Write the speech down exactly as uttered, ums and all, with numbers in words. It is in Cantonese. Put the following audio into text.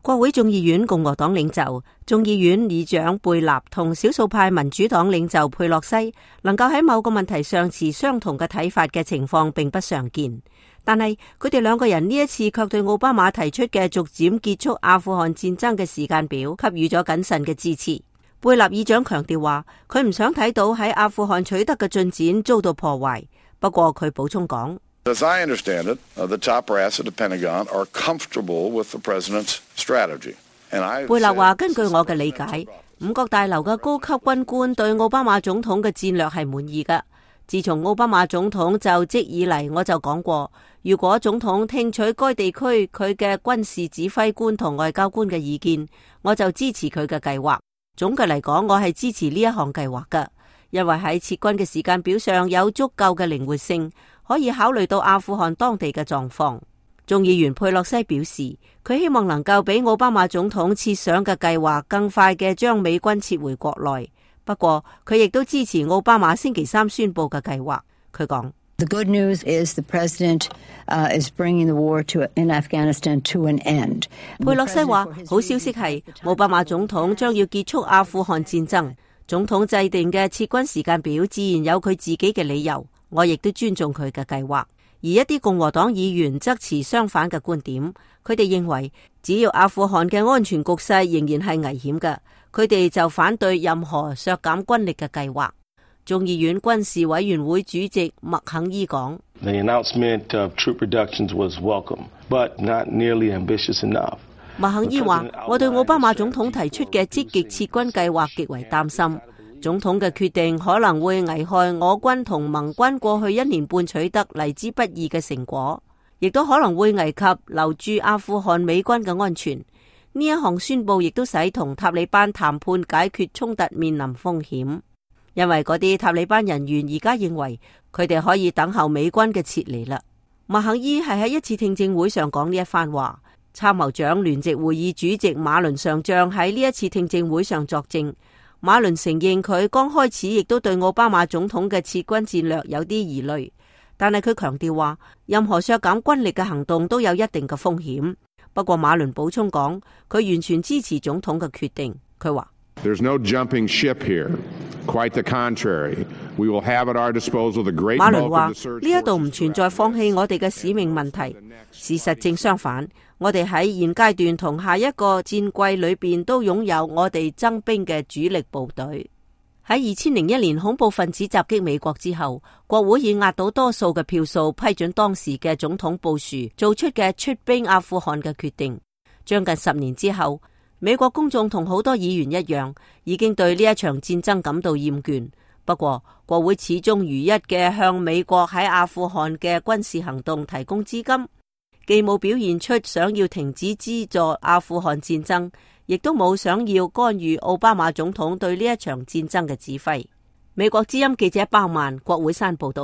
國會眾議院共和黨領袖、眾議院議長貝納同少數派民主黨領袖佩洛西能夠喺某個問題上持相同嘅睇法嘅情況並不常見，但係佢哋兩個人呢一次卻對奧巴馬提出嘅逐漸結束阿富汗戰爭嘅時間表給予咗謹慎嘅支持。貝納議長強調話，佢唔想睇到喺阿富汗取得嘅進展遭到破壞。不過佢補充講，As I understand it, the top brass at the Pentagon are comfortable with the president's strategy. 貝納話：根據我嘅理解，五角大樓嘅高級軍官對奧巴馬總統嘅戰略係滿意㗎。自從奧巴馬總統就職以嚟，我就講過，如果總統聽取該地區佢嘅軍事指揮官同外交官嘅意見，我就支持佢嘅計劃。總嘅嚟講，我係支持呢一項計劃㗎，因為喺撤軍嘅時間表上有足夠嘅靈活性，可以考慮到阿富汗當地嘅狀況。眾議員佩洛西表示，佢希望能夠比奧巴馬總統設想嘅計劃更快嘅將美軍撤回國內。不過佢亦都支持奧巴馬星期三宣布嘅計劃。佢講：The good news is the president is bringing the war to in Afghanistan to an end。佩洛西話：好消息係奧巴馬總統將要結束阿富汗戰爭。總統制定嘅撤軍時間表自然有佢自己嘅理由，我亦都尊重佢嘅計劃。而一啲共和黨議員則持相反嘅觀點，佢哋認為只要阿富汗嘅安全局勢仍然係危險嘅，佢哋就反對任何削減軍力嘅計劃。眾議院軍事委員會主席麥肯伊講： The announcement of troop reductions was welcome, but not nearly ambitious enough。麥肯伊話：我對奧巴馬總統提出嘅積極撤軍計劃極為擔心。總統嘅決定可能會危害我軍同盟軍過去一年半取得嚟之不易嘅成果，亦都可能會危及留駐阿富汗美軍嘅安全。呢一項宣佈亦都使同塔利班談判解決衝突面臨風險，因為嗰啲塔利班人員而家認為佢哋可以等候美軍嘅撤離啦。麥肯伊係喺一次聽證會上講呢一番話。參謀長聯席會議主席馬倫上將喺呢一次聽證會上作證。馬倫承認佢剛開始亦都對奧巴馬總統嘅撤軍戰略有啲疑慮，但係佢強調話，任何削減軍力嘅行動都有一定嘅風險。不過馬倫補充講，佢完全支持總統嘅決定。佢話：There's no jumping ship here. Quite the contrary. We will have at our disposal the great bulk of the search forces. 馬倫話：呢一度唔存在放棄我哋嘅使命問題。事實正相反，我哋喺現階段同下一個戰季裏邊都擁有我哋增兵嘅主力部隊。喺二千零一年恐怖分子襲擊美國之後，國會以壓倒多數嘅票數批准當時嘅總統布殊做出嘅出兵阿富汗嘅決定。將近十年之後，美國公眾同好多議員一樣，已經對呢一場戰爭感到厭倦。不過，國會始終如一嘅向美國喺阿富汗嘅軍事行動提供資金，既冇表現出想要停止資助阿富汗戰爭，亦都冇想要干預奧巴馬總統對呢一場戰爭嘅指揮。美國之音記者鮑曼，國會山報道。